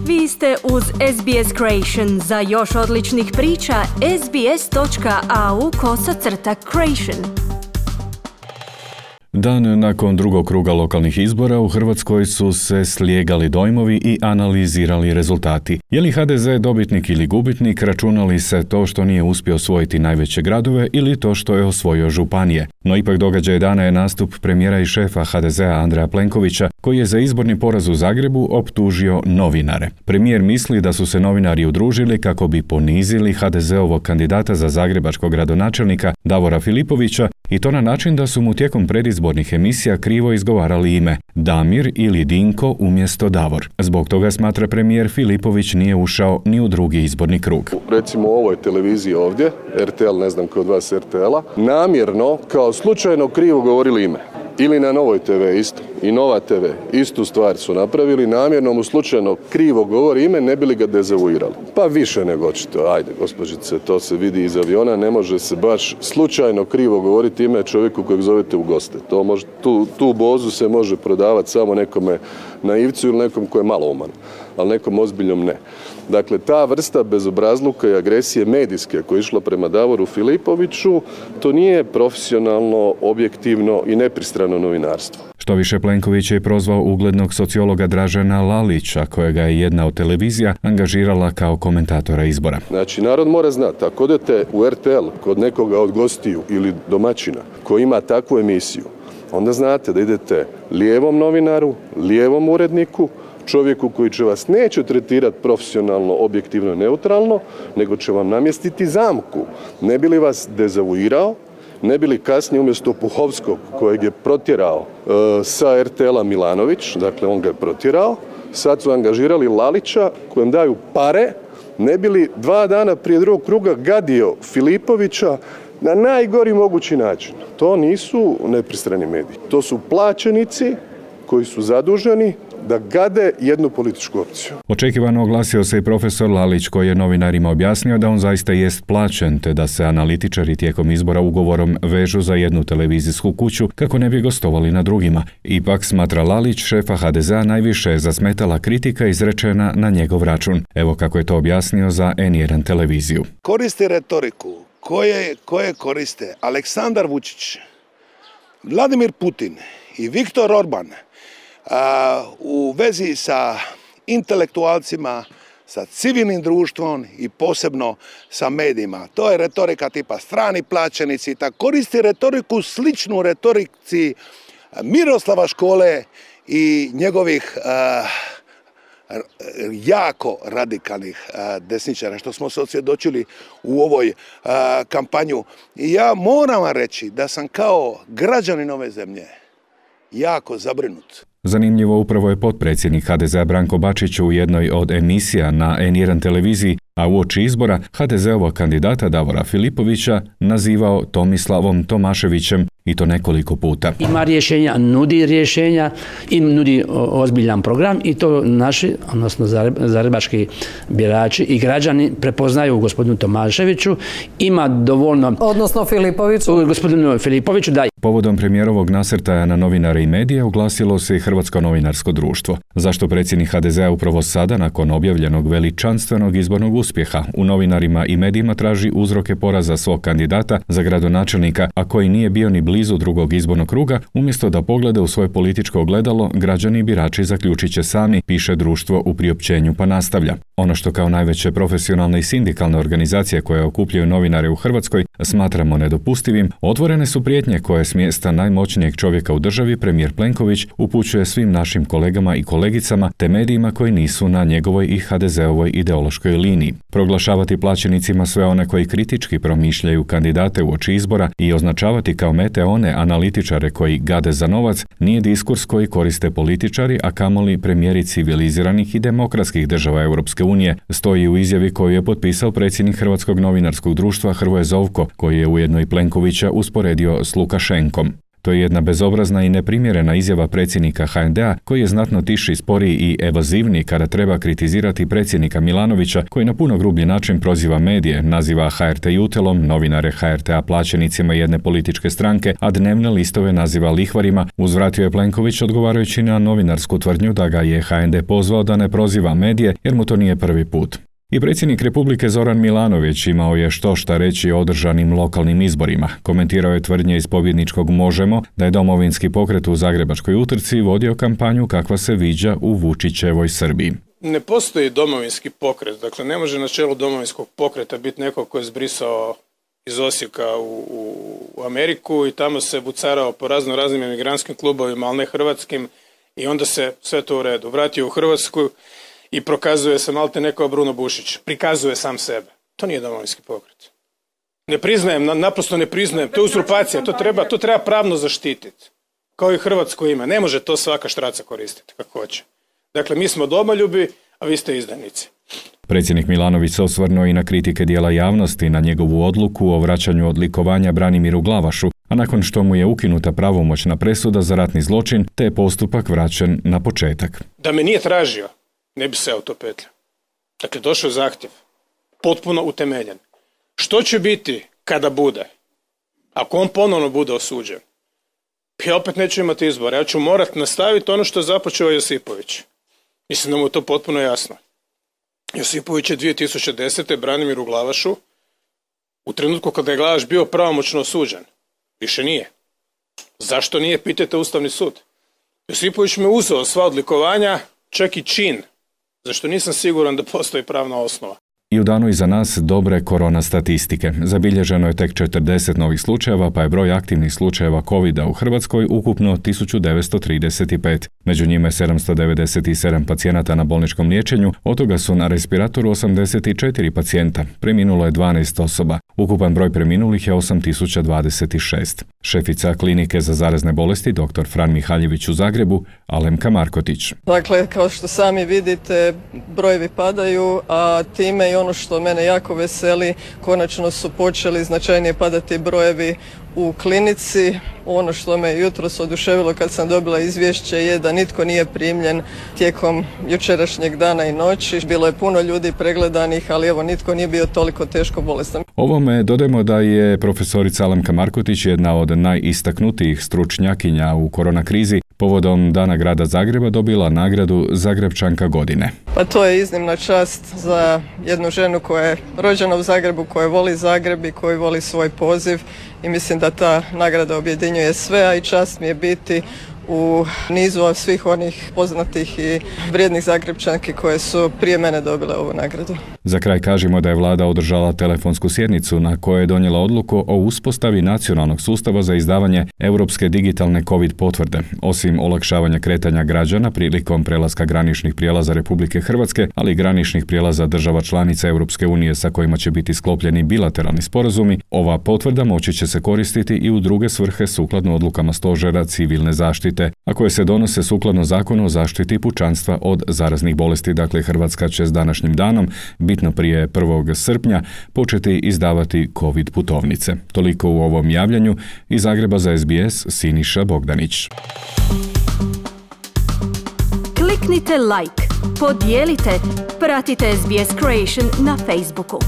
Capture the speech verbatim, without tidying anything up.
Vi ste uz S B S Creation. Za još odličnih priča, sbs.au kosacrta creation. Dan nakon drugog kruga lokalnih izbora u Hrvatskoj su se slijegali dojmovi i analizirali rezultati. Je li H D Z dobitnik ili gubitnik, računali se to što nije uspio osvojiti najveće gradove ili to što je osvojio županije. No ipak događaj dana je nastup premijera i šefa H D Z-a Andreja Plenkovića, koji je za izborni poraz u Zagrebu optužio novinare. Premijer misli da su se novinari udružili kako bi ponizili H D Z-ovog kandidata za zagrebačkog gradonačelnika Davora Filipovića i to na način da su mu tijekom predizbornih emisija krivo izgovarali ime Damir ili Dinko umjesto Davor. Zbog toga, smatra premijer, Filipović nije ušao ni u drugi izborni krug. Recimo u ovoj televiziji ovdje, R T L, ne znam ko od vas R T L-a, namjerno kao slučajno krivo govorili ime. Ili na Novoj T V isto. I Nova T V istu stvar su napravili, namjerno mu slučajno krivo govori ime, ne bi li ga dezavuirali. Pa više nego očito, ajde gospođice, to se vidi iz aviona, ne može se baš slučajno krivo govoriti ime čovjeku kojeg zovete u goste. To može, tu, tu bozu se može prodavati samo nekome naivcu ili nekom ko je malouman, ali nekom ozbiljnom ne. Dakle, ta vrsta bezobrazluka i agresije medijske koja je išla prema Davoru Filipoviću, to nije profesionalno, objektivno i nepristrano novinarstvo. Što više, Plenković je prozvao uglednog sociologa Dražena Lalića, kojega je jedna od televizija angažirala kao komentatora izbora. Znači, narod mora znati, ako odete u R T L kod nekoga od gostiju ili domaćina koji ima takvu emisiju, onda znate da idete lijevom novinaru, lijevom uredniku, čovjeku koji će vas neće tretirati profesionalno, objektivno, neutralno, nego će vam namjestiti zamku. Ne bi li vas dezavuirao, ne bi li kasnije umjesto Puhovskog, kojeg je protjerao e, sa R T L-a Milanović, dakle on ga je protjerao, sad su angažirali Lalića kojem daju pare, ne bi li dva dana prije drugog kruga gadio Filipovića na najgori mogući način. To nisu nepristrani mediji. To su plaćenici koji su zaduženi da gade jednu političku opciju. Očekivano oglasio se i profesor Lalić, koji je novinarima objasnio da on zaista jest plaćen, te da se analitičari tijekom izbora ugovorom vežu za jednu televizijsku kuću kako ne bi gostovali na drugima. Ipak, smatra Lalić, šefa H D Z-a najviše je zasmetala kritika izrečena na njegov račun. Evo kako je to objasnio za N jedan televiziju. Koristi retoriku koje, koje koriste Aleksandar Vučić, Vladimir Putin i Viktor Orban u vezi sa intelektualcima, sa civilnim društvom i posebno sa medijima. To je retorika tipa strani plaćenici, tako koristi retoriku sličnu retorici Miroslava Škole i njegovih uh, jako radikalnih uh, desničara, što smo se osvjedočili u ovoj uh, kampanju. I ja moram vam reći da sam kao građanin ove zemlje jako zabrinut. Zanimljivo, upravo je potpredsjednik H D Z-a Branko Bačić u jednoj od emisija na N jedan televiziji, a uoči izbora H D Z-ovog kandidata Davora Filipovića nazivao Tomislavom Tomaševićem, i to nekoliko puta. Ima rješenja, nudi rješenja i nudi ozbiljan program i to naši, odnosno zagrebački birači i građani prepoznaju u gospodinu Tomaševiću. Ima dovoljno... Odnosno Filipoviću. Gospodinu Filipoviću, da. Povodom premijerovog nasrtaja na novinare i medije oglasilo se i Hrvatsko novinarsko društvo. Zašto predsjednik H D Z-a upravo sada, nakon objavljenog veličanstvenog izbornog uspjeha, u novinarima i medijima traži uzroke poraza svog kandidata za gradonačelnika, a koji nije bio ni blizu drugog izbornog kruga, umjesto da poglede u svoje političko ogledalo, građani i birači zaključit će sami, piše društvo u priopćenju, pa nastavlja. Ono što kao najveće profesionalne i sindikalne organizacije koje okupljaju novinare u Hrvatskoj smatramo nedopustivim, otvorene su prijetnje koje s mjesta najmoćnijeg čovjeka u državi premijer Plenković upućuje svim našim kolegama i kolegicama te medijima koji nisu na njegovoj i H D Z-ovoj ideološkoj liniji. Proglašavati plaćenicima sve one koji kritički promišljaju kandidate uoči izbora i označavati kao mete one analitičare koji gade za novac nije diskurs koji koriste političari, a kamoli premijeri civiliziranih i demokratskih država Europske unije, stoji u izjavi koju je potpisao predsjednik Hrvatskog novinarskog društva Hrvoje Zovko, koji je ujedno i Plenkovića usporedio s Lukašenkom. To je jedna bezobrazna i neprimjerena izjava predsjednika ha en de-a koji je znatno tiši, sporiji i evazivniji kada treba kritizirati predsjednika Milanovića koji na puno grublji način proziva medije, naziva ha er te jutelom, novinare ha er te-a plaćenicima jedne političke stranke, a dnevne listove naziva lihvarima. Uzvratio je Plenković odgovarajući na novinarsku tvrdnju da ga je ha en de pozvao da ne proziva medije jer mu to nije prvi put. I predsjednik Republike Zoran Milanović imao je što šta reći o održanim lokalnim izborima. Komentirao je tvrdnje iz pobjedničkog Možemo da je Domovinski pokret u zagrebačkoj utrci vodio kampanju kakva se viđa u Vučićevoj Srbiji. Ne postoji Domovinski pokret, dakle ne može na čelu Domovinskog pokreta biti neko ko je zbrisao iz Osijeka u, u Ameriku i tamo se bucarao po razno raznim emigrantskim klubovima, ali ne hrvatskim, i onda se sve to u redu. Vratio u Hrvatsku i prokazuje se malte neko Bruno Bušić. Prikazuje sam sebe. To nije Domovinski pokret. Ne priznajem, naprosto ne priznajem. To je uzurpacija. To treba, to treba pravno zaštititi. Kao i hrvatsko ime. Ne može to svaka štraca koristiti kako hoće. Dakle, mi smo domoljubi, a vi ste izdajnici. Predsjednik Milanović se osvrnuo i na kritike dijela javnosti na njegovu odluku o vraćanju odlikovanja Branimiru Glavašu, a nakon što mu je ukinuta pravomoćna presuda za ratni zločin, te je postupak vraćen na početak. Da me nije tražio, ne bi se autopetljao. Dakle, došao je zahtjev. Potpuno utemeljen. Što će biti kada bude? Ako on ponovno bude osuđen? Ja opet neću imati izbora. Ja ću morati nastaviti ono što je započeo Josipović. Mislim da mu je to potpuno jasno. Josipović je dvije tisuće desete. Branimiru Glavašu u trenutku kada je Glavaš bio pravomoćno osuđen. Više nije. Zašto nije? Pitajte Ustavni sud. Josipović me uzeo sva odlikovanja, čak i čin, zašto nisam siguran da postoji pravna osnova. I u danu iza nas dobre korona statistike. Zabilježeno je tek četrdeset novih slučajeva, pa je broj aktivnih slučajeva kovida u Hrvatskoj ukupno tisuću devetsto trideset pet. Među njima je sedamsto devedeset sedam pacijenata na bolničkom liječenju, od toga su na respiratoru osamdeset četiri pacijenta. Preminulo je dvanaest osoba. Ukupan broj preminulih je osam tisuća dvadeset šest. Šefica klinike za zarazne bolesti dr. Fran Mihaljević u Zagrebu, Alemka Markotić. Dakle, kao što sami vidite, brojevi padaju, a time i ono što mene jako veseli, konačno su počeli značajnije padati brojevi u klinici. Ono što me jutros oduševilo kad sam dobila izvješće je da nitko nije primljen tijekom jučerašnjeg dana i noći. Bilo je puno ljudi pregledanih, ali evo nitko nije bio toliko teško bolestan. Ovome dodajmo da je profesorica Alemka Markotić jedna od najistaknutijih stručnjakinja u korona krizi. Povodom Dana grada Zagreba dobila nagradu Zagrebčanka godine. Pa to je iznimna čast za jednu ženu koja je rođena u Zagrebu, koja voli Zagreb i koja voli svoj poziv, i mislim da ta nagrada objedinjuje sve, a i čast mi je biti u nizu svih onih poznatih i vrijednih Zagrebčanki koje su prije mene dobile ovu nagradu. Za kraj kažemo da je vlada održala telefonsku sjednicu na kojoj je donijela odluku o uspostavi nacionalnog sustava za izdavanje europske digitalne COVID potvrde. Osim olakšavanja kretanja građana prilikom prelaska graničnih prijelaza Republike Hrvatske, ali i graničnih prijelaza država članica Europske unije sa kojima će biti sklopljeni bilateralni sporazumi, ova potvrda moći će se koristiti i u druge svrhe sukladno odlukama Stožera civilne zaštite, a koje se donose sukladno Zakonu o zaštiti pučanstva od zaraznih bolesti. Dakle, Hrvatska će s današnjim danom, bitno prije prvog srpnja, početi izdavati COVID putovnice. Toliko u ovom javljanju. Iz Zagreba za es be es, Siniša Bogdanić. Kliknite like, podijelite, pratite es be es Creation na Facebooku.